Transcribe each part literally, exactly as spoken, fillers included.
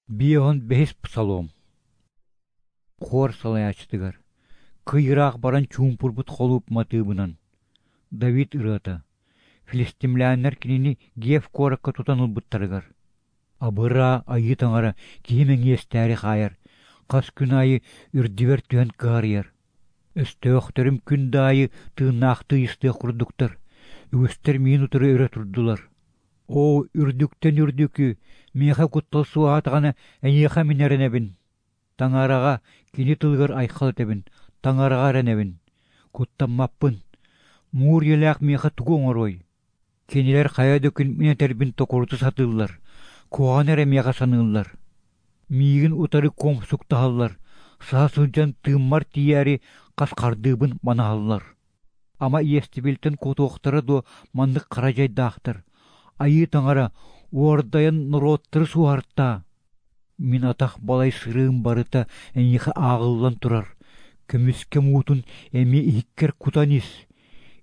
Биэһон бэһис псалом. Хор салайааччытыгар кый ыраах баран чуумпурбут холууп матыыбынан. Давид ырыата. Филистимлээннэр кинини Геф куоракка тутан ылбыттарыгар. Абыраа, Айыы Таҥара киһи мэҥиэстээри хаайар, хас күн аайы үрдүбэр түһэн кыһарыйар. Өстөөхтөрүм күн да аайы тыыннаахтыы ыйыстыах курдуктар, үгүстэр миин утары өрө турдулар. Оо, үрдүктэн үрдүкү, миэхэ куттал суоһаатаҕына эйиэхэ мин эрэнэбин. Таҥараҕа, кини тылыгар айхал этэбин, Таҥараҕа эрэнэбин. Куттаммаппын. Муур ийэлээх миэхэ тугу оҥоруой? Кинилэр хайа да күн мин этэрбин токурута сатыыллар, куһаҕаны эрэ миэхэ саныыллар. Миигин утары куомсуктаһаллар, саһа сылдьан тыыммар тиийээри хас хардыыбын манаһаллар. Ама иэстэбилтэн куотуохтара дуо маннык хара дьайдаахтар? Айыы Таҥара, уордайан норуоттары суоһартаа. Мин атах балай сырыым барыта эйиэхэ ааҕыллан турар, көмүскэ муутун эмиэ иһиккэр кутан ис.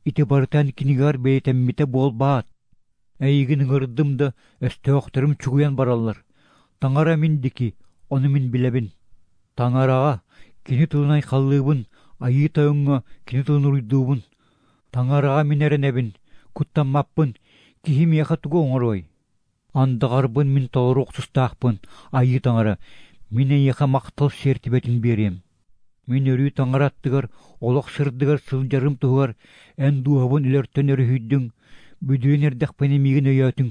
Ити барыта эн кинигэҕэр бэлиэтэммитэ буолбаат? Эйигин ыҥырдым да, өстөөхтөрүм чугуйан бараллар. Таҥара мин дики, ону мин билэбин. Таҥараҕа, кини тылын айхаллыыбын, Айыы Тойоҥҥо кини тылын уруйдуубун. Таҥараҕа мин эрэнэбин, куттаммаппын, киһи миэхэ тугу оҥоруой? Андаҕарбын мин толоруох тустаахпын, Айыы Таҥара, мин эйиэхэ махтал сиэртибэтин биэриэм. Мин өрүү Таҥара аттыгар, олох сырдыгар сылдьарым туһугар эн дууһабын өлөртөн өрүһүйдүҥ, бүдүрүйэн эрдэхпинэ миигин өйөөтүҥ.